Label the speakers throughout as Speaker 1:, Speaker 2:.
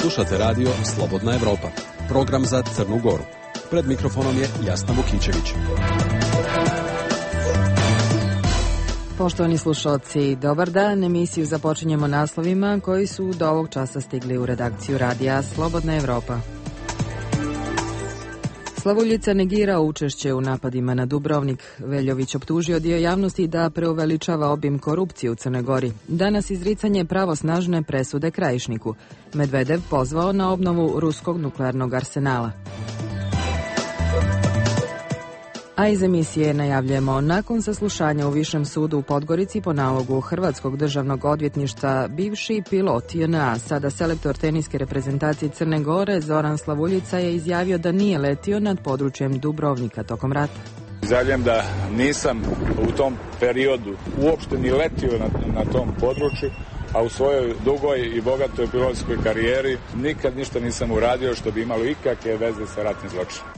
Speaker 1: Slušate radio Slobodna Evropa, program za Crnu Goru. Pred mikrofonom je Jasna Vukićević.
Speaker 2: Poštovani slušalci, dobar dan. Emisiju započinjemo naslovima koji su do ovog časa stigli u redakciju radija Slobodna Evropa. Slavuljica negira učešće u napadima na Dubrovnik. Veljović optužio dio javnosti da preuveličava obim korupcije u Crnoj Gori. Danas izricanje pravosnažne presude Krajišniku. Medvedev pozvao na obnovu ruskog nuklearnog arsenala. A iz emisije najavljujemo, nakon saslušanja u Višem sudu u Podgorici po nalogu Hrvatskog državnog odvjetništva, bivši pilot JNA, sada selektor teniske reprezentacije Crne Gore, Zoran Slavuljica je izjavio da nije letio nad područjem Dubrovnika tokom rata.
Speaker 3: Izjavljujem da nisam u tom periodu uopšte ni letio na tom području, a u svojoj dugoj i bogatoj pilotskoj karijeri nikad ništa nisam uradio što bi imalo ikakve veze sa ratnim zločinom.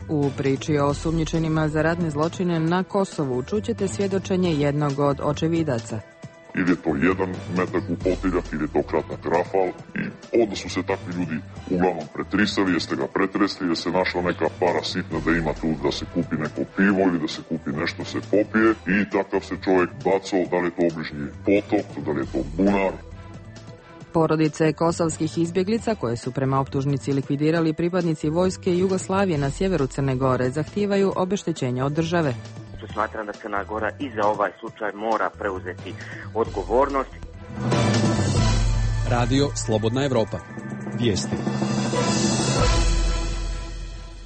Speaker 2: U priči o osumnjičenima za ratne zločine na Kosovu čućete svjedočenje jednog od očevidaca.
Speaker 4: Ili je to jedan metak u potiljak, ili je to kratak rafal. I onda su se takvi ljudi uglavnom pretrisali, jeste ga pretresli, jer se našla neka para sitna da ima tu da se kupi neko pivo ili da se kupi nešto se popije. I takav se čovjek bacao, da li je to obližnji potok, da li je to bunar.
Speaker 2: Porodice kosovskih izbjeglica, koje su prema optužnici likvidirali pripadnici vojske Jugoslavije na sjeveru Crne Gore, zahtijevaju obeštećenje od države.
Speaker 5: Smatram da Crna Gora i za ovaj slučaj mora preuzeti odgovornost.
Speaker 1: Radio Slobodna Evropa. Vijesti.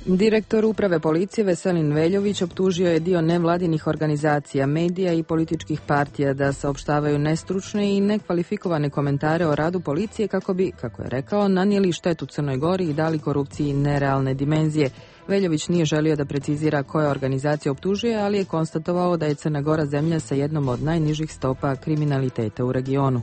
Speaker 2: Direktor uprave policije Veselin Veljović optužio je dio nevladinih organizacija, medija i političkih partija da saopštavaju nestručne i nekvalifikovane komentare o radu policije kako bi, kako je rekao, nanijeli štetu Crnoj Gori i dali korupciji nerealne dimenzije. Veljović nije želio da precizira koja organizacija optužuje, ali je konstatovao da je Crna Gora zemlja sa jednom od najnižih stopa kriminaliteta u regionu.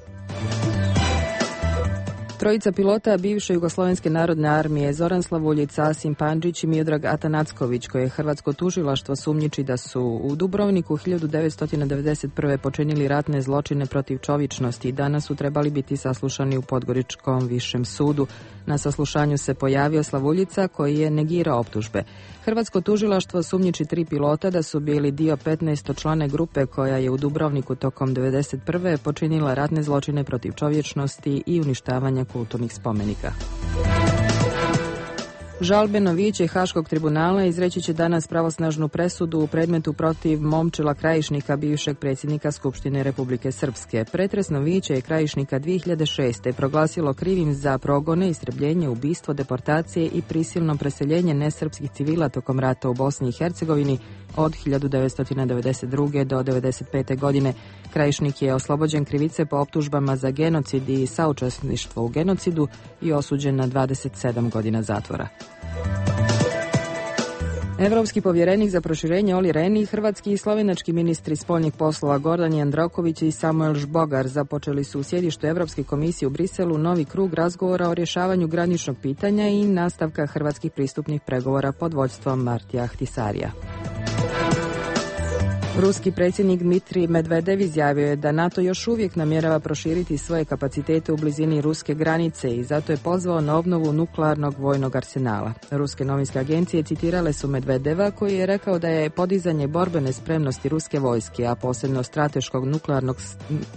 Speaker 2: Trojica pilota bivše Jugoslovenske narodne armije, Zoran Slavuljica, Asim Pandžić i Miodrag Atanacković, koje je hrvatsko tužilaštvo sumnjiči da su u Dubrovniku 1991. počinili ratne zločine protiv čovječnosti, danas su trebali biti saslušani u Podgoričkom višem sudu. Na saslušanju se pojavio Slavuljica koji je negirao optužbe. Hrvatsko tužilaštvo sumnjiči 3 pilota da su bili dio 15-člane grupe koja je u Dubrovniku tokom 1991. počinila ratne zločine protiv čovječnosti i uništavanja kulturnih spomenika. Žalbeno vijeće Haškog tribunala izreći će danas pravosnažnu presudu u predmetu protiv Momčila Krajišnika, bivšeg predsjednika Skupštine Republike Srpske. Pretresno vijeće je Krajišnika 2006. proglasilo krivim za progone, istrebljenje, ubistvo, deportacije i prisilno preseljenje nesrpskih civila tokom rata u Bosni i Hercegovini od 1992. do 1995. godine. Krajišnik je oslobođen krivice po optužbama za genocid i saučesništvo u genocidu i osuđen na 27 godina zatvora. Evropski povjerenik za proširenje Olli Rehn i hrvatski i slovenački ministri spoljnih poslova Gordan Jandroković i Samuel Žbogar započeli su u sjedištu Evropske komisije u Briselu novi krug razgovora o rješavanju graničnog pitanja i nastavka hrvatskih pristupnih pregovora pod vodstvom Martija Ahtisarija. Ruski predsjednik Dmitrij Medvedev izjavio je da NATO još uvijek namjerava proširiti svoje kapacitete u blizini ruske granice i zato je pozvao na obnovu nuklearnog vojnog arsenala. Ruske novinske agencije citirale su Medvedeva koji je rekao da je podizanje borbene spremnosti ruske vojske, a posebno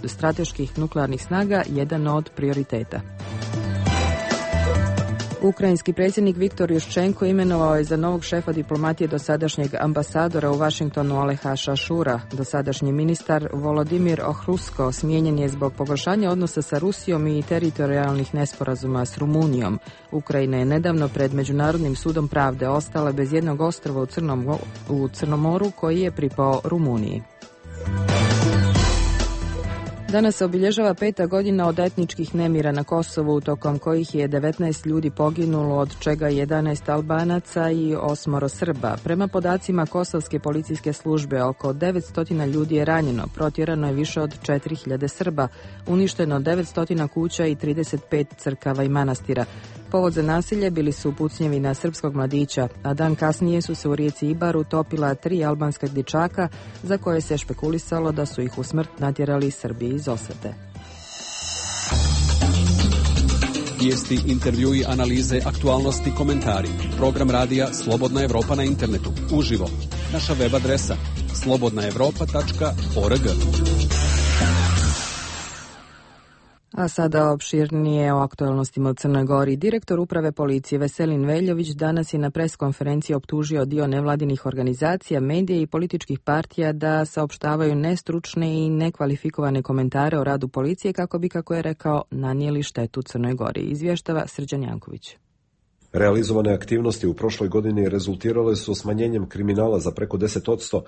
Speaker 2: strateških nuklearnih snaga, jedan od prioriteta. Ukrajinski predsjednik Viktor Juščenko imenovao je za novog šefa diplomatije dosadašnjeg ambasadora u Vašingtonu Aleha Šašura. Dosadašnji ministar Volodimir Ohrusko smijenjen je zbog pogoršanja odnosa sa Rusijom i teritorijalnih nesporazuma s Rumunijom. Ukrajina je nedavno pred Međunarodnim sudom pravde ostala bez jednog ostrva u Crnom moru koji je pripao Rumuniji. Danas se obilježava 5. godina od etničkih nemira na Kosovu, tokom kojih je 19 ljudi poginulo, od čega 11 Albanaca i 8 Srba. Prema podacima Kosovske policijske službe, oko 900 ljudi je ranjeno, protjerano je više od 4000 Srba, uništeno 900 kuća i 35 crkava i manastira. Povod za nasilje bili su pucnjevi na srpskog mladića, a dan kasnije su se u rijeci Ibar utopila 3 albanska dječaka za koje se špekulisalo da su ih u smrt natjerali Srbi iz osvete.
Speaker 1: Vijesti, intervjui, analize, aktualnosti, komentari. Program radija Slobodna Evropa na internetu. Uživo. Naša web adresa slobodnaevropa.org.
Speaker 2: A sada opširnije o aktualnostima u Crnoj Gori. Direktor uprave policije Veselin Veljović danas je na preskonferenciji optužio dio nevladinih organizacija, medija i političkih partija da saopštavaju nestručne i nekvalifikovane komentare o radu policije kako bi, kako je rekao, nanijeli štetu Crnoj Gori. Izvještava Srđan Janković.
Speaker 6: Realizovane aktivnosti u prošloj godini rezultirale su smanjenjem kriminala za preko 10%,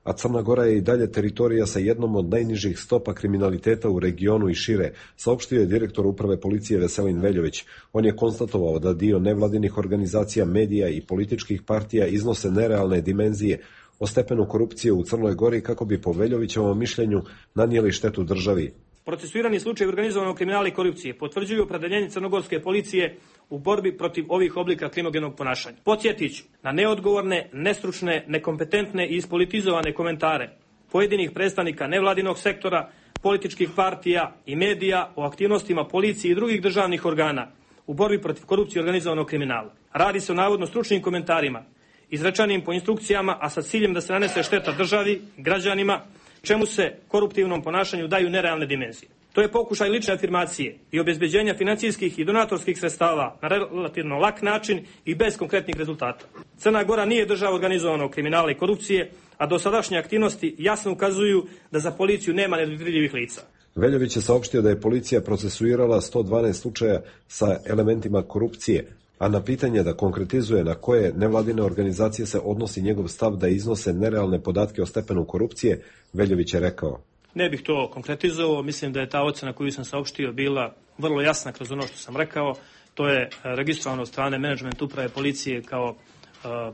Speaker 6: a Crna Gora je i dalje teritorija sa jednom od najnižih stopa kriminaliteta u regionu i šire, saopštio je direktor uprave policije Veselin Veljović. On je konstatovao da dio nevladinih organizacija, medija i političkih partija iznose nerealne dimenzije o stepenu korupcije u Crnoj Gori kako bi po Veljovićevom mišljenju nanijeli štetu državi.
Speaker 7: Procesuirani slučaj organizovanog kriminala i korupcije potvrđuju opredeljenje crnogorske policije u borbi protiv ovih oblika krimogenog ponašanja. Podsjetit ću na neodgovorne, nestručne, nekompetentne i ispolitizovane komentare pojedinih predstavnika nevladinog sektora, političkih partija i medija o aktivnostima policije i drugih državnih organa u borbi protiv korupcije i organizovanog kriminala. Radi se o navodno stručnim komentarima, izrečenim po instrukcijama, a sa ciljem da se nanese šteta državi, građanima, čemu se koruptivnom ponašanju daju nerealne dimenzije. To je pokušaj lične afirmacije i obezbeđenja financijskih i donatorskih sredstava na relativno lak način i bez konkretnih rezultata. Crna Gora nije država organizovanog kriminala i korupcije, a dosadašnje aktivnosti jasno ukazuju da za policiju nema nedodirljivih lica.
Speaker 6: Veljović je saopštio da je policija procesuirala 112 slučaja sa elementima korupcije, a na pitanje da konkretizuje na koje nevladine organizacije se odnosi njegov stav da iznose nerealne podatke o stepenu korupcije, Veljović je rekao:
Speaker 7: Ne bih to konkretizovao, mislim da je ta ocena koju sam saopštio bila vrlo jasna kroz ono što sam rekao. To je registrovano od strane menadžment uprave policije kao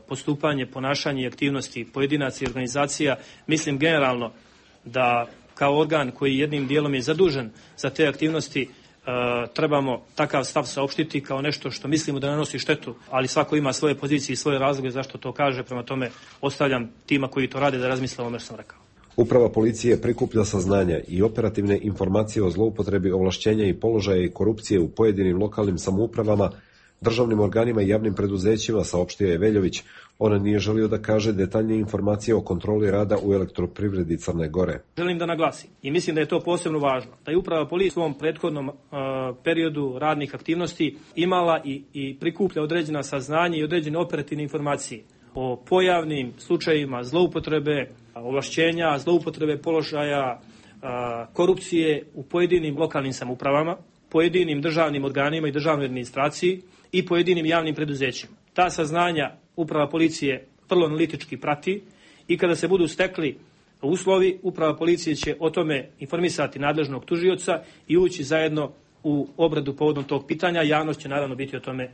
Speaker 7: postupanje, ponašanje i aktivnosti pojedinaca i organizacija. Mislim generalno da kao organ koji jednim dijelom je zadužen za te aktivnosti trebamo takav stav saopštiti kao nešto što mislimo da nanosi štetu, ali svako ima svoje pozicije i svoje razloge zašto to kaže, prema tome ostavljam tima koji to rade da razmisle o ovome što sam rekao.
Speaker 6: Uprava policije prikuplja saznanja i operativne informacije o zloupotrebi ovlašćenja i položaja i korupcije u pojedinim lokalnim samoupravama, državnim organima i javnim preduzećima, saopštio je Veljović. On nije želio da kaže detaljnije informacije o kontroli rada u elektroprivredi Crne Gore.
Speaker 7: Želim da naglasim i mislim da je to posebno važno, da je uprava policije u svom prethodnom periodu radnih aktivnosti imala i prikuplja određena saznanja i određene operativne informacije o pojavnim slučajevima zloupotrebe ovlašćenja, zloupotrebe položaja, korupcije u pojedinim lokalnim samoupravama, pojedinim državnim organima i državnoj administraciji i pojedinim javnim preduzećima. Ta saznanja uprava policije vrlo analitički prati i kada se budu stekli uslovi, uprava policije će o tome informisati nadležnog tužioca i ući zajedno u obradu povodom tog pitanja. Javnost će naravno biti o tome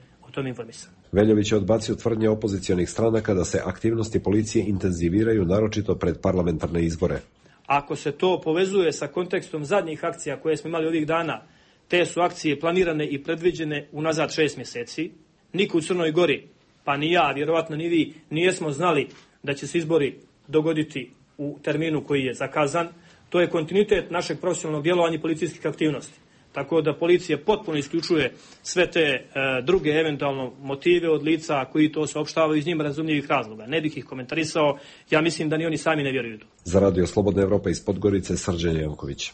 Speaker 7: informisana.
Speaker 6: Veljović je odbacio tvrdnje opozicionih stranaka da se aktivnosti policije intenziviraju naročito pred parlamentarne izbore.
Speaker 7: Ako se to povezuje sa kontekstom zadnjih akcija koje smo imali ovih dana, te su akcije planirane i predviđene unazad 6 mjeseci. Niko u Crnoj Gori, pa ni ja, vjerovatno ni vi, nijesmo znali da će se izbori dogoditi u terminu koji je zakazan. To je kontinuitet našeg profesionalnog djelovanja i policijskih aktivnosti. Tako da policija potpuno isključuje sve te druge eventualno motive od lica koji to saopštavaju iz njima razumljivih razloga. Ne bih ih komentarisao, ja mislim da ni oni sami ne vjeruju.
Speaker 6: Za Radio Slobodna Evropa iz Podgorice, Srđan Janković.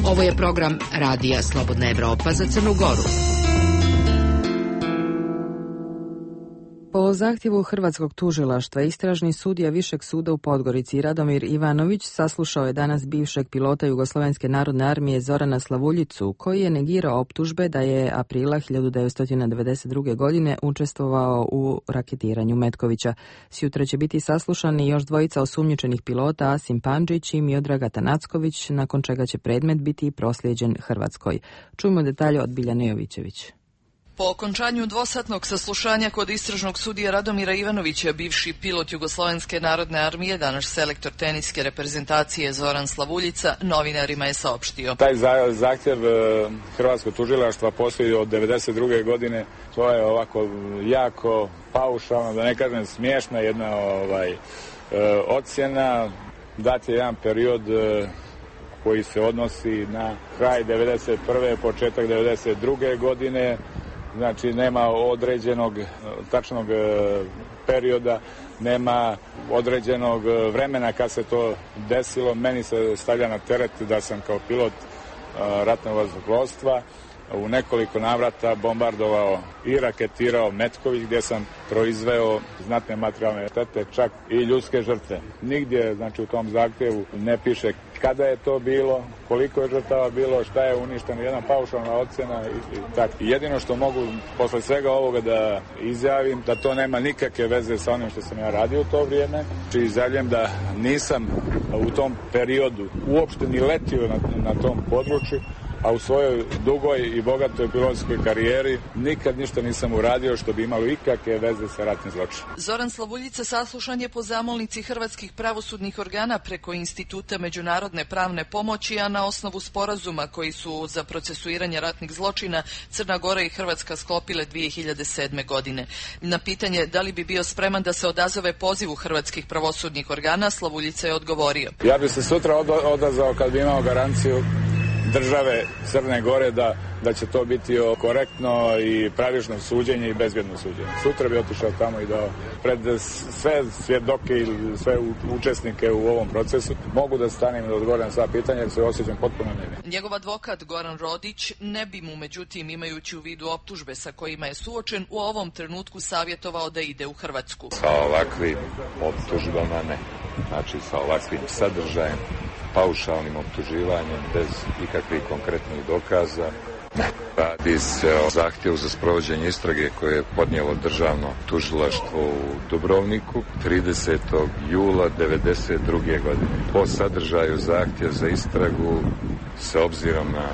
Speaker 8: Ovo je program Radija Slobodna Evropa za Crnu Goru.
Speaker 2: Po zahtjevu Hrvatskog tužilaštva, istražni sudija Višeg suda u Podgorici Radomir Ivanović saslušao je danas bivšeg pilota Jugoslovenske narodne armije Zorana Slavuljicu, koji je negirao optužbe da je aprila 1992. godine učestvovao u raketiranju Metkovića. Sjutra će biti saslušani još dvojica osumnjičenih pilota, Asim Pandžić i Miodrag Atanacković, nakon čega će predmet biti proslijeđen Hrvatskoj. Čujmo detalje od Biljane Jovićević.
Speaker 9: Po okončanju dvosatnog saslušanja kod istražnog sudija Radomira Ivanovića, bivši pilot Jugoslovenske narodne armije, danas selektor teniske reprezentacije Zoran Slavuljica, novinarima je saopštio:
Speaker 3: Taj zahtjev Hrvatskog tužilaštva postoji od 1992. godine. To je ovako jako paušalno, da ne kažem smiješna jedna ocjena. Dat je jedan period koji se odnosi na kraj 1991. početak 1992. godine. Znači nema određenog tačnog perioda, nema određenog vremena kad se to desilo. Meni se stavlja na teret da sam kao pilot ratnog vazduhoplovstva u nekoliko navrata bombardovao i raketirao Metković, gdje sam proizveo znatne materijalne štete, čak i ljudske žrtve. Nigdje, znači, u tom zahtjevu ne piše kada je to bilo, koliko je žrtava bilo, šta je uništeno, jedna paušalna ocjena i tako. Jedino što mogu posle svega ovoga da izjavim, da to nema nikakve veze sa onim što sam ja radio u to vrijeme. Znači, izjavljam da nisam u tom periodu uopšte ni letio na tom području, a u svojoj dugoj i bogatoj pilotskoj karijeri nikad ništa nisam uradio što bi imalo ikakve veze sa ratnim zločinom.
Speaker 9: Zoran Slavuljica saslušan je po zamolnici hrvatskih pravosudnih organa preko Instituta međunarodne pravne pomoći, a na osnovu sporazuma koji su za procesuiranje ratnih zločina Crna Gora i Hrvatska sklopile 2007. godine. Na pitanje da li bi bio spreman da se odazove pozivu hrvatskih pravosudnih organa, Slavuljica je odgovorio:
Speaker 3: Ja bi se sutra odazvao kad bi imao garanciju države Crne Gore da će to biti korektno i pravično suđenje i bezbjedno suđenje. Sutra bi otišao tamo i dao pred sve svjedoke ili sve učesnike u ovom procesu. Mogu da stanem i da odgovorim na sva pitanja jer se osjećam potpuno nevin.
Speaker 9: Njegov advokat Goran Rodić ne bi mu, međutim, imajući u vidu optužbe sa kojima je suočen, u ovom trenutku savjetovao da ide u Hrvatsku.
Speaker 10: Sa ovakvim optužbama ne. Znači sa ovakvim sadržajem, paušalnim optuživanjem bez ikakvih konkretnih dokaza. Radi se o zahtjevu za sprovođenje istrage koje je podnijelo državno tužilaštvo u Dubrovniku 30. jula 1992. godine. Po sadržaju zahtjev za istragu s obzirom na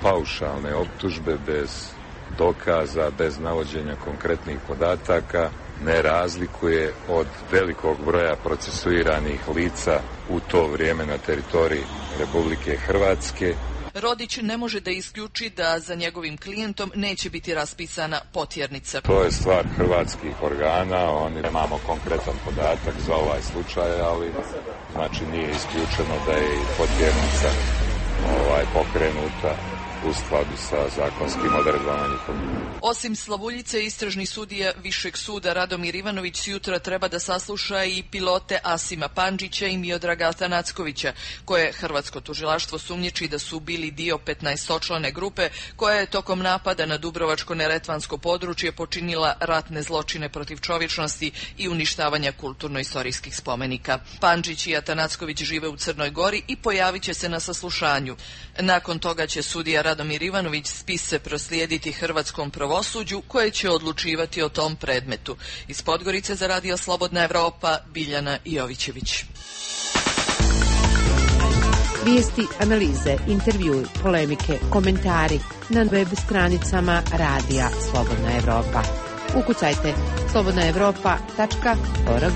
Speaker 10: paušalne optužbe bez dokaza, bez navođenja konkretnih podataka, ne razlikuje od velikog broja procesuiranih lica u to vrijeme na teritoriji Republike Hrvatske.
Speaker 9: Rodić ne može da isključi da za njegovim klijentom neće biti raspisana potjernica.
Speaker 10: To je stvar hrvatskih organa, oni nemamo konkretan podatak za ovaj slučaj, ali znači nije isključeno da je i potjernica pokrenuta u skladu sa zakonskim odredbama njihovim.
Speaker 9: Osim Slavuljice, istražni sudija Višeg suda Radomir Ivanović jutra treba da sasluša i pilote Asima Pandžića i Miodraga Atanackovića, koje hrvatsko tužilaštvo sumnjiči da su bili dio 15-člane grupe koja je tokom napada na Dubrovačko-neretvansko područje počinila ratne zločine protiv čovječnosti i uništavanja kulturno-istorijskih spomenika. Pandžić i Atanacković žive u Crnoj Gori i pojavit će se na saslušanju. Nakon toga će sudija Radomir Ivanović spise proslijediti hrvatskom pravosuđu koje će odlučivati o tom predmetu. Iz Podgorice za Radio Slobodna Evropa, Biljana Jovićević.
Speaker 11: Vijesti, analize, intervjui, polemike, komentari na web stranicama Radija Slobodna Evropa. Ukucajte slobodnaevropa.org.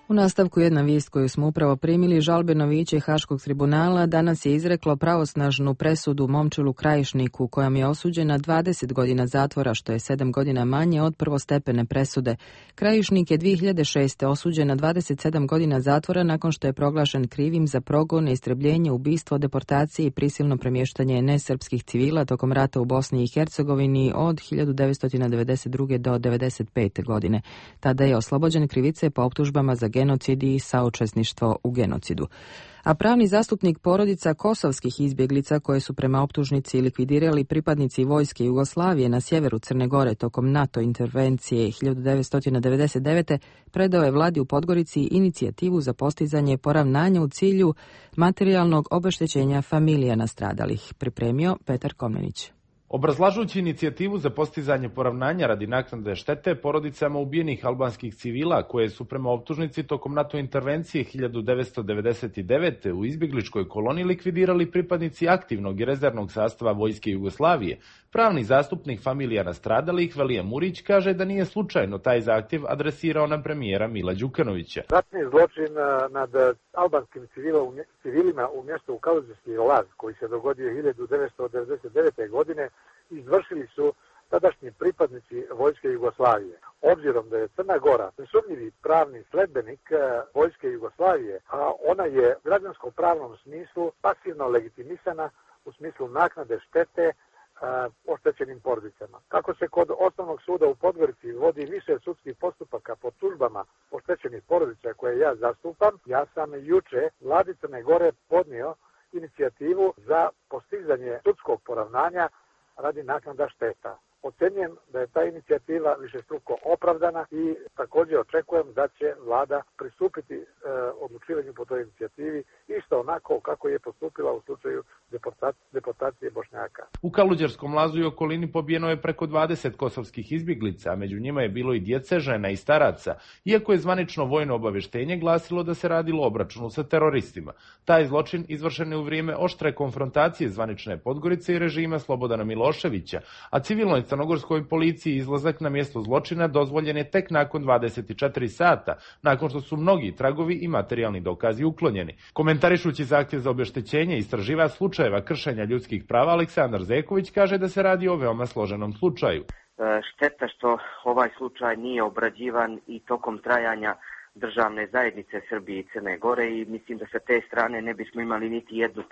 Speaker 2: U nastavku jedna vijest koju smo upravo primili. Žalbeno vijeće Haškog tribunala danas je izreklo pravosnažnu presudu Momčilu Krajišniku, kojom je osuđena 20 godina zatvora, što je 7 godina manje od prvostepene presude. Krajišnik je 2006. osuđen na 27 godina zatvora nakon što je proglašen krivim za progon, istrebljenje, ubistvo, deportacije i prisilno premještanje nesrpskih civila tokom rata u Bosni i Hercegovini od 1992. do 1995. godine. Tada je oslobođen krivice po optužbama za genocid i saučesništvo u genocidu. A pravni zastupnik porodica kosovskih izbjeglica koje su prema optužnici likvidirali pripadnici vojske Jugoslavije na sjeveru Crne Gore tokom NATO intervencije 1999. predao je vladi u Podgorici inicijativu za postizanje poravnanja u cilju materijalnog obeštećenja familija nastradalih. Pripremio Petar Komnenić.
Speaker 12: Obrazlažući inicijativu za postizanje poravnanja radi naknade štete porodicama ubijenih albanskih civila koje su prema optužnici tokom NATO intervencije 1999. u izbjegličkoj koloniji likvidirali pripadnici aktivnog i rezervnog sastava vojske Jugoslavije, pravni zastupnik familija nastradalih Velije Murić kaže da nije slučajno taj zahtjev adresirao na premijera Mila Đukanovića.
Speaker 13: Ratni zločin nad albanskim civilima u mjestu Kaluđerski Laz koji se dogodio 1999. godine izvršili su tadašnji pripadnici vojske Jugoslavije. obzirom da je Crna Gora nesumnjivi pravni sledbenik vojske Jugoslavije, a ona je u građanskom pravnom smislu pasivno legitimisana u smislu naknade štete oštećenim porodicama. Kako se kod Osnovnog suda u Podgorici vodi više sudskih postupaka po tužbama oštećenih porodica koje ja zastupam, ja sam juče vladi Crne Gore podnio inicijativu za postizanje sudskog poravnanja radi naknada šteta. Ocenjujem da je ta inicijativa višestruko opravdana i također očekujem da će vlada pristupiti odlučivanju po toj inicijativi isto onako kako je postupila u slučaju deportacije Bošnjaka.
Speaker 12: U Kaluđerskom lazu i okolini pobijeno je preko 20 kosovskih izbjeglica, a među njima je bilo i djece, žena i staraca, iako je zvanično vojno obavještenje glasilo da se radilo o obračunu sa teroristima. Taj zločin izvršen je u vrijeme oštre konfrontacije zvanične Podgorice i režima Slobodana Miloševića, a civilnoj crnogorskoj policiji izlazak na mjesto zločina dozvoljen je tek nakon 24 sata, nakon što su mnogi tragovi i materijalni dokazi uklonjeni. Komentarišući zahtjev za obeštećenje istraživač slučajeva kršenja ljudskih prava Aleksandar Zeković kaže da se radi o veoma složenom slučaju.
Speaker 5: Šteta što ovaj slučaj nije obrađivan i tokom trajanja državne zajednice Srbije i Crne Gore i mislim da sa te strane ne bismo imali niti jednu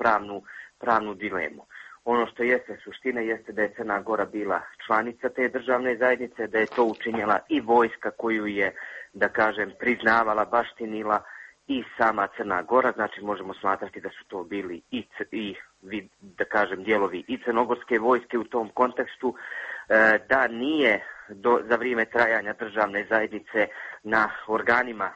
Speaker 5: pravnu dilemu. Ono što jeste suština jeste da je Crna Gora bila članica te državne zajednice, da je to učinjela i vojska koju je, da kažem, priznavala, baštinila i sama Crna Gora, znači možemo smatrati da su to bili i da kažem, dijelovi i crnogorske vojske u tom kontekstu, da nije za vrijeme trajanja državne zajednice na organima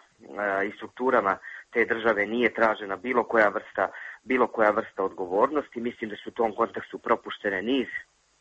Speaker 5: i strukturama te države nije tražena bilo koja vrsta odgovornosti. Mislim da su u tom kontekstu propuštene niz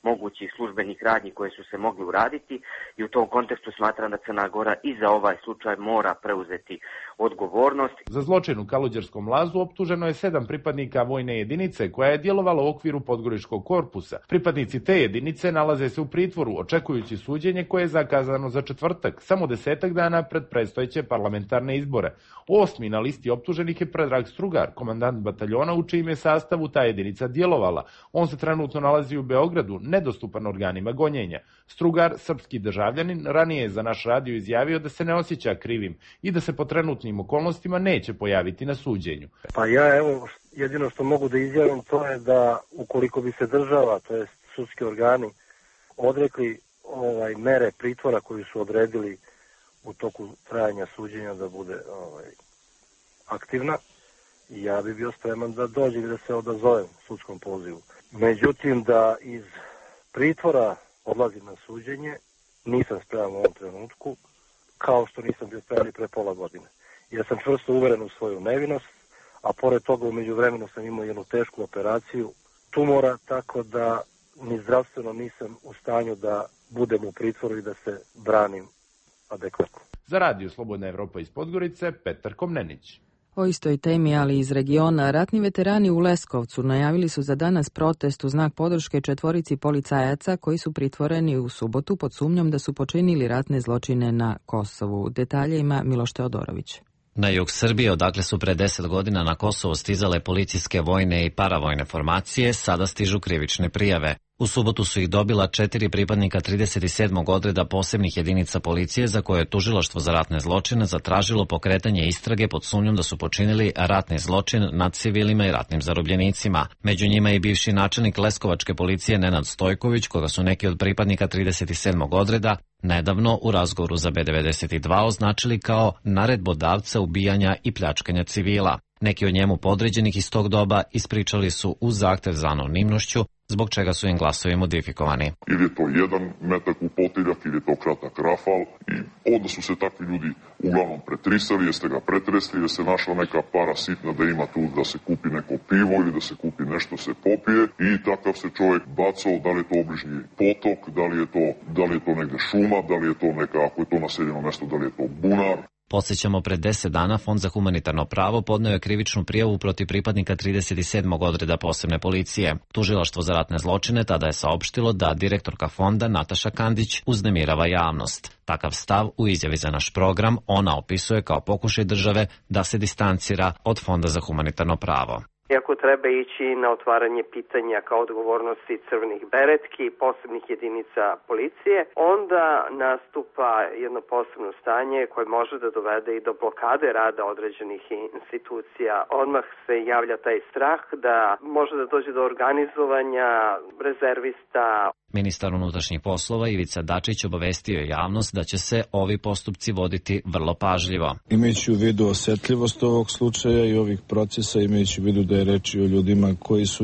Speaker 5: mogućih službenih radnji koje su se mogli uraditi i u tom kontekstu smatram da Crna Gora i za ovaj slučaj mora preuzeti odgovornost.
Speaker 12: Za zločin u Kaluđerskom lazu optuženo je 7 pripadnika vojne jedinice koja je djelovala u okviru Podgoričkog korpusa. Pripadnici te jedinice nalaze se u pritvoru očekujući suđenje koje je zakazano za četvrtak, samo 10 dana pred predstojeće parlamentarne izbore. 8. na listi optuženih je Predrag Strugar, komandant bataljona u čijem je sastavu ta jedinica djelovala. On se trenutno nalazi u Beogradu, nedostupan organima gonjenja. Strugar, srpski državljanin, ranije je za naš radio izjavio da se ne osjeća krivim i da se po trenutnim okolnostima neće pojaviti na suđenju.
Speaker 14: Pa ja jedino što mogu da izjavim to je da ukoliko bi se država, to jest sudski organi, odrekli mere pritvora koju su odredili u toku trajanja suđenja da bude aktivna, ja bi bio spreman da dođe i da se odazovem sudskom pozivu. Međutim, da iz pritvora odlazim na suđenje, nisam spreman u ovom trenutku, kao što nisam bio spreman i pre pola godine. Jer sam čvrsto uveren u svoju nevinost, a pored toga u međuvremenu sam imao jednu tešku operaciju tumora, tako da ni zdravstveno nisam u stanju da budem u pritvoru i da se branim adekvatno.
Speaker 12: Za radio Slobodna Evropa iz Podgorice, Petar Komnenić.
Speaker 2: O istoj temi, ali iz regiona, ratni veterani u Leskovcu najavili su za danas protest u znak podrške 4 policajaca koji su pritvoreni u subotu pod sumnjom da su počinili ratne zločine na Kosovu. Detalje ima Miloš Teodorović.
Speaker 15: Na jug Srbije, odakle su pre 10 godina na Kosovo stizale policijske, vojne i paravojne formacije, sada stižu krivične prijave. U subotu su ih dobila 4 pripadnika 37. odreda posebnih jedinica policije za koje je tužilaštvo za ratne zločine zatražilo pokretanje istrage pod sumnjom da su počinili ratni zločin nad civilima i ratnim zarobljenicima. Među njima je i bivši načelnik Leskovačke policije Nenad Stojković, koga su neki od pripadnika 37. odreda nedavno u razgovoru za B92 označili kao naredbodavca ubijanja i pljačkanja civila. Neki od njemu podređenih iz tog doba ispričali su uz zahtev za anonimnošću, zbog čega su im glasovi modifikovani.
Speaker 4: Ili je to jedan metak u potiljak, ili je to kratak rafal i onda su se takvi ljudi uglavnom pretrisali, jeste ga pretresli, jer se našla neka para sitna da ima tu da se kupi neko pivo ili da se kupi nešto se popije i takav se čovjek bacao, da li je to obližnji potok, da li je to negde šuma, da li je to neka, ako je to naseljeno mjesto, da li je to bunar.
Speaker 15: Podsjećamo, pred 10 dana Fond za humanitarno pravo podneo je krivičnu prijavu protiv pripadnika 37. odreda posebne policije. Tužilaštvo za ratne zločine tada je saopštilo da direktorka fonda Nataša Kandić uznemirava javnost. Takav stav u izjavi za naš program ona opisuje kao pokušaj države da se distancira od Fonda za humanitarno pravo.
Speaker 16: Iako treba ići na otvaranje pitanja kao odgovornosti crvenih beretki, posebnih jedinica policije, onda nastupa jedno posebno stanje koje može da dovede i do blokade rada određenih institucija. Odmah se javlja taj strah da može da dođe do organizovanja rezervista.
Speaker 15: Ministar unutrašnjih poslova Ivica Dačić obavestio je javnost da će se ovi postupci voditi vrlo pažljivo.
Speaker 17: Imajući u vidu osetljivost ovog slučaja i ovih procesa, imajući u vidu da je reč o ljudima koji su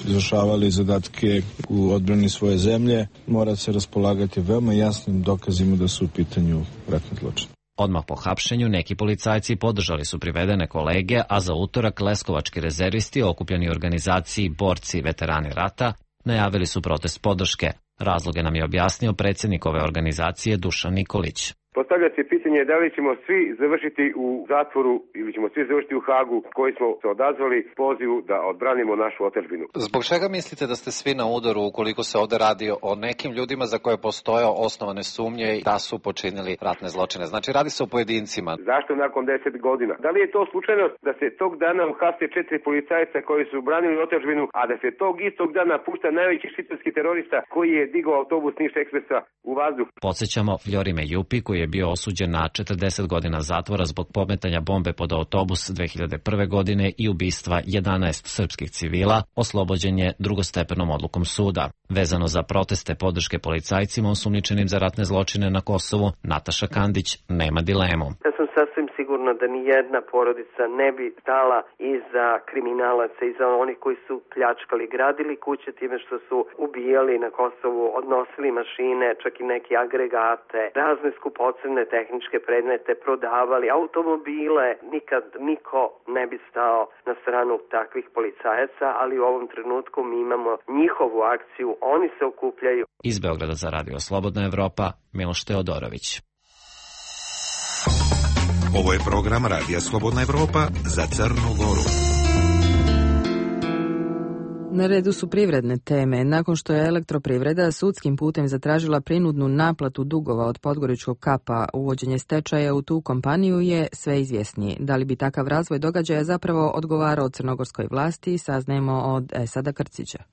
Speaker 17: izvršavali zadatke u odbrani svoje zemlje, mora se raspolagati veoma jasnim dokazima da su u pitanju ratni zločin.
Speaker 15: Odmah po hapšenju neki policajci podržali su privedene kolege, a za utorak leskovački rezervisti okupljeni u organizaciji Borci i veterani rata najavili su protest podrške. Razloge nam je objasnio predsjednik ove organizacije Dušan Nikolić.
Speaker 18: Postavlja se pitanje da li ćemo svi završiti u zatvoru ili ćemo svi završiti u Hagu koji smo se odazvali pozivu da odbranimo našu otadžbinu.
Speaker 19: Zbog čega mislite da ste svi na udaru ukoliko se ovde radi o nekim ljudima za koje postoje osnovane sumnje da su počinili ratne zločine? Znači radi se o pojedincima.
Speaker 18: Zašto nakon 10 godina? Da li je to slučajnost da se tog dana uhapse 4 policajca koji su branili otadžbinu, a da se tog istog dana pušta najveći šiptarski terorista koji je digao autobus Niš Ekspresa u vazduh?
Speaker 15: Podsjećamo Vljorime Jupi koji je bio osuđen na 40 godina zatvora zbog pometanja bombe pod autobus 2001. godine i ubistva 11 srpskih civila, oslobođen je drugostepenom odlukom suda. Vezano za proteste podrške policajcima osumnjičenim za ratne zločine na Kosovu, Nataša Kandić nema dilemu.
Speaker 16: Ja sam sasvim sigurna da ni jedna porodica ne bi stala iza kriminalaca, iza onih koji su pljačkali, gradili kuće time što su ubijali na Kosovu, odnosili mašine, čak i neke agregate, razne skupocene tehničke predmete, prodavali automobile. Nikad niko ne bi stao na stranu takvih policajaca, ali u ovom trenutku mi imamo njihovu akciju, oni se okupljaju.
Speaker 15: Iz Beograda za Radio Slobodna Evropa, Miloš Teodorović.
Speaker 20: Ovo je program Radija Slobodna Evropa za Crnu Goru.
Speaker 2: Na redu su privredne teme. Nakon što je Elektroprivreda sudskim putem zatražila prinudnu naplatu dugova od Podgoričkog kapa, uvođenje stečaja u tu kompaniju je sve izvjesnije. Da li bi takav razvoj događaja zapravo odgovarao crnogorskoj vlasti, saznajemo od Esada Krcića.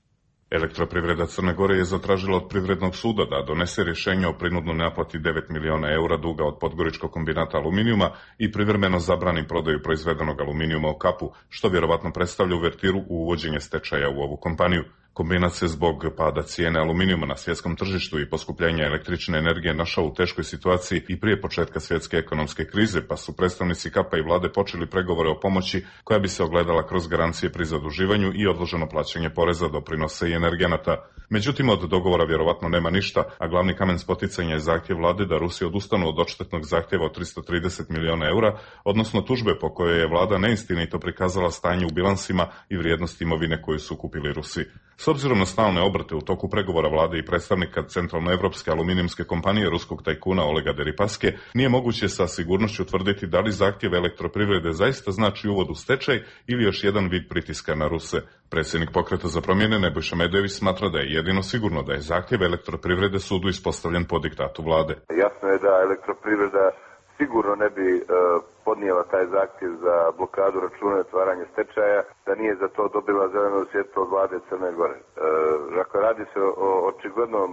Speaker 21: Elektroprivreda Crne Gore je zatražila od Privrednog suda da donese rješenje o prinudnoj naplati 9 miliona eura duga od Podgoričkog kombinata aluminijuma i privremeno zabrani prodaju proizvedenog aluminijuma u kapu, što vjerovatno predstavlja uvertiru u uvođenje stečaja u ovu kompaniju. Kombinat se zbog pada cijene aluminijuma na svjetskom tržištu i poskupljenja električne energije našao u teškoj situaciji i prije početka svjetske ekonomske krize, pa su predstavnici kapa i vlade počeli pregovore o pomoći koja bi se ogledala kroz garancije pri zaduživanju i odloženo plaćanje poreza, doprinosa i energenata. Međutim, od dogovora vjerovatno nema ništa, a glavni kamen spoticanja je zahtjev vlade da Rusi odustanu od odštetnog zahtjeva od 330 miliona eura, odnosno tužbe po kojoj je vlada neistinito prikazala stanje u bilansima i vrijednost imovine koju su kupili Rusi. S obzirom na stalne obrte u toku pregovora vlade i predstavnika centralnoevropske aluminijumske kompanije ruskog tajkuna Olega Deripaske, nije moguće sa sigurnošću tvrditi da li zahtjev Elektroprivrede zaista znači uvod u stečaj ili još jedan vid pritiska na Ruse. Predsjednik Pokreta za promjene Nebojša Medojević smatra da je jedino sigurno da je zahtjev Elektroprivrede sudu ispostavljen po diktatu vlade.
Speaker 22: Jasno je da Elektroprivreda sigurno ne bi podnijela taj zahtjev za blokadu računa i otvaranje stečaja, da nije za to dobila zeleno svjetlo od vlade Crne Gore. Dakle, radi se o očiglednom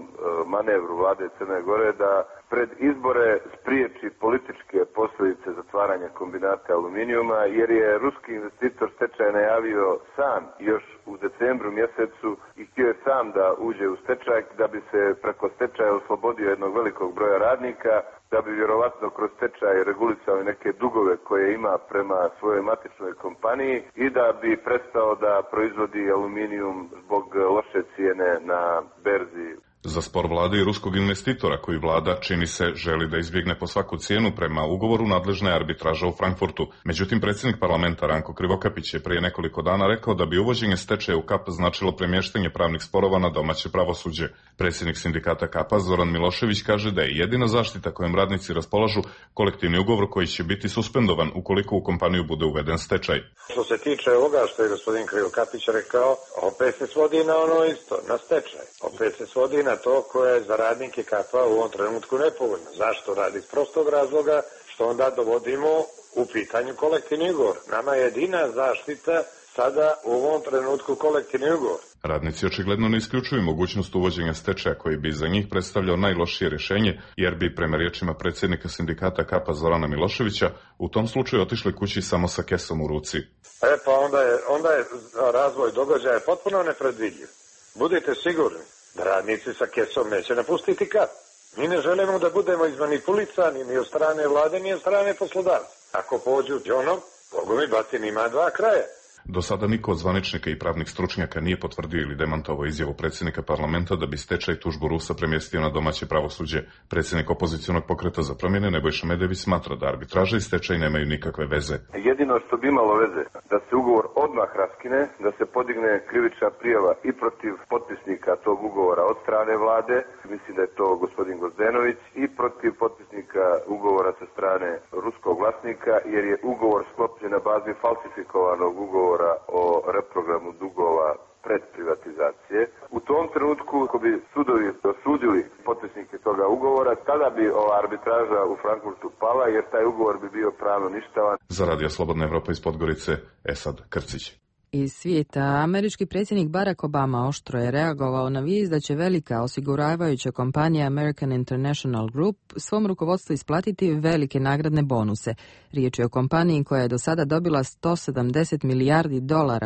Speaker 22: manevru vlade Crne Gore da pred izbore spriječi političke posljedice zatvaranja kombinata aluminijuma, jer je ruski investitor stečaj najavio sam još u decembru mjesecu i htio je sam da uđe u stečaj, da bi se preko stečaja oslobodio jednog velikog broja radnika, da bi vjerovatno kroz stečaj regulisao neke dugove koje ima prema svojoj matičnoj kompaniji i da bi prestao da proizvodi aluminijum zbog loše cijene na berzi.
Speaker 21: Za spor vlade i ruskog investitora koji vlada, čini se, želi da izbjegne po svaku cijenu prema ugovoru nadležna je arbitraža u Frankfurtu. Međutim, predsjednik parlamenta Ranko Krivokapić je prije nekoliko dana rekao da bi uvođenje stečaja u kap značilo premještanje pravnih sporova na domaće pravosuđe. Predsjednik sindikata kapa Zoran Milošević kaže da je jedina zaštita kojom radnici raspolažu kolektivni ugovor koji će biti suspendovan ukoliko u kompaniju bude uveden stečaj.
Speaker 23: Što se tiče ovoga što je gospodin Krivokapić rekao, opet se svodi na ono isto, na stečaj. Opet se svodi na to koje je za radnike kapa u ovom trenutku nepovoljno. Zašto? Radi iz prostog razloga što onda dovodimo u pitanju kolektivni ugovor. Nama je jedina zaštita sada u ovom trenutku kolektivni ugovor.
Speaker 21: Radnici očigledno ne isključuju mogućnost uvođenja stečaja koji bi za njih predstavljao najlošije rješenje, jer bi, prema riječima predsjednika sindikata KAPA Zorana Miloševića, u tom slučaju otišli kući samo sa kesom u ruci.
Speaker 23: Pa onda je razvoj događaja potpuno nepredvidljiv. Budite sigurni da radnici sa kesom neće napustiti KAP. Mi ne želimo da budemo izmanipulisani ni od strane vlade, ni od strane poslodavca. Ako pođu džonom, Bogu mi batin ima dva kraja.
Speaker 21: Do sada niko od zvaničnika i pravnih stručnjaka nije potvrdio ili demantovao izjavu predsjednika parlamenta da bi stečaj tužbu Rusa premjestio na domaće pravosuđe. Predsjednik opozicionog pokreta za promjene Nebojša Medević smatra da arbitraža i stečaj nemaju nikakve veze.
Speaker 22: Jedino što bi imalo veze, da se ugovor odmah raskine, da se podigne krivična prijava i protiv potpisnika tog ugovora od strane vlade, mislim da je to gospodin Gozdenović, i protiv potpisnika ugovora sa strane ruskog vlasnika, jer je ugovor sklopljen na bazi falsifikovanog ugovora o reprogramu dugova pred privatizacije. U tom trenutku, ako bi sudovi osudili potpisnike toga ugovora, tada bi ova arbitraža u Frankfurtu pala, jer taj ugovor bi bio pravno ništavan.
Speaker 21: Za Radio Slobodna Evropa iz Podgorice, Esad Krcić.
Speaker 2: Iz svijeta, američki predsjednik Barack Obama oštro je reagovao na vijest da će velika osiguravajuća kompanija American International Group svom rukovodstvu isplatiti velike nagradne bonuse. Riječ je o kompaniji koja je do sada dobila $170 milijardi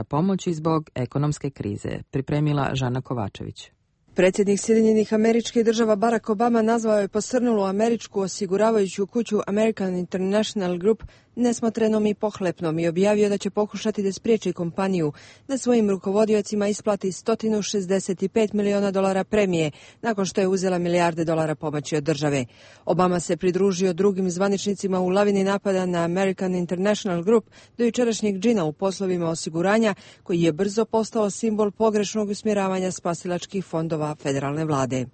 Speaker 2: pomoći zbog ekonomske krize. Pripremila Žana Kovačević.
Speaker 1: Predsjednik Sjedinjenih Američkih Država Barack Obama nazvao je posrnulu američku osiguravajuću kuću American International Group nesmotrenom i pohlepnom i objavio da će pokušati da spriječi kompaniju da svojim rukovodiocima isplati $165 miliona premije nakon što je uzela milijarde dolara pomoći od države. Obama se pridružio drugim zvaničnicima u lavini napada na American International Group do jučerašnjeg džina u poslovima osiguranja koji je brzo postao simbol pogrešnog usmjeravanja spasilačkih fondova federalne vlade.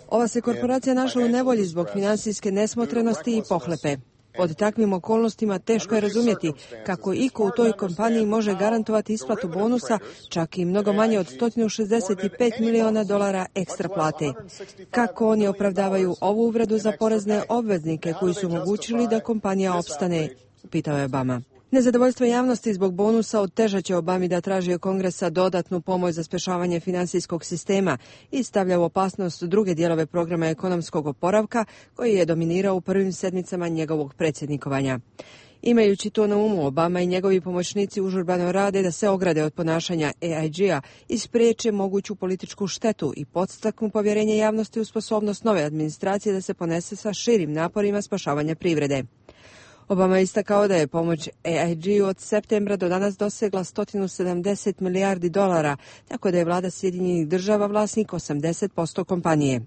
Speaker 1: Ova se korporacija našla u nevolji zbog financijske nesmotrenosti i pohlepe. Pod takvim okolnostima teško je razumjeti kako iko u toj kompaniji može garantovati isplatu bonusa, čak i mnogo manje od $165 miliona ekstra plate. Kako oni opravdavaju ovu uvredu za porezne obveznike koji su omogućili da kompanija opstane, pitao je Obama. Nezadovoljstvo javnosti zbog bonusa otežat će Obami da traži od Kongresa dodatnu pomoć za spašavanje financijskog sistema i stavlja u opasnost druge dijelove programa ekonomskog oporavka koji je dominirao u prvim sedmicama njegovog predsjednikovanja. Imajući to na umu, Obama i njegovi pomoćnici užurbano rade da se ograde od ponašanja AIG-a i spriječe moguću političku štetu i podstaknu povjerenje javnosti u sposobnost nove administracije da se ponese sa širim naporima spašavanja privrede. Obama je istakao da je pomoć AIG od septembra do danas dosegla $170 milijardi, tako da je vlada Sjedinjenih Država vlasnik 80% kompanije.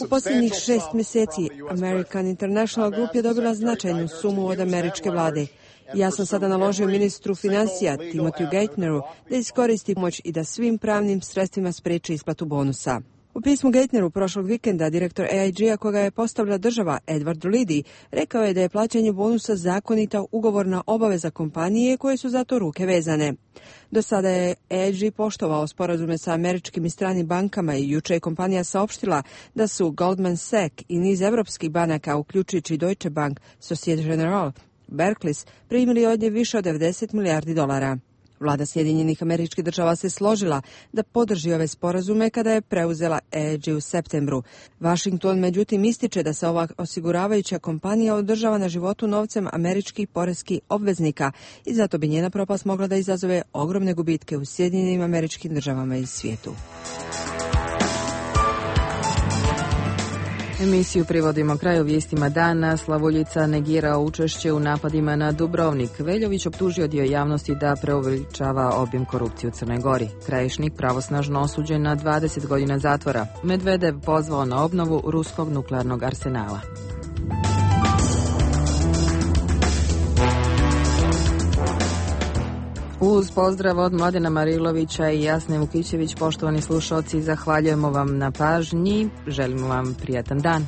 Speaker 1: U posljednjih 6 mjeseci American International Group je dobila značajnu sumu od američke vlade. Ja sam sada naložio ministru financija Timothy Geithneru da iskoristi pomoć i da svim pravnim sredstvima spriječi isplatu bonusa. U pismu Geithneru prošlog vikenda direktor AIG-a koga je postavila država Edward Liddy rekao je da je plaćanje bonusa zakonita ugovorna obaveza kompanije koje su za to ruke vezane. Do sada je AIG poštovao sporazume sa američkim i stranim bankama i juče je kompanija saopštila da su Goldman Sachs i niz evropskih banaka, uključujući Deutsche Bank, Societe Generale, Barclays, primili od nje više od $90 milijardi. Vlada Sjedinjenih Američkih Država se složila da podrži ove sporazume kada je preuzela AIG u septembru. Washington međutim ističe da se ova osiguravajuća kompanija održava na životu novcem američkih poreskih obveznika i zato bi njena propast mogla da izazove ogromne gubitke u Sjedinjenim Američkim Državama i svijetu.
Speaker 2: Emisiju privodimo kraju vijestima dana. Slavuljica negirao učešće u napadima na Dubrovnik. Veljović optužio dio javnosti da preuveličava obim korupcije u Crnoj Gori. Krajišnik pravosnažno osuđen na 20 godina zatvora. Medvedev pozvao na obnovu ruskog nuklearnog arsenala. Uz pozdrav od Mladena Marilovića i Jasne Vukićević, poštovani slušalci, zahvaljujemo vam na pažnji, želimo vam prijatan dan.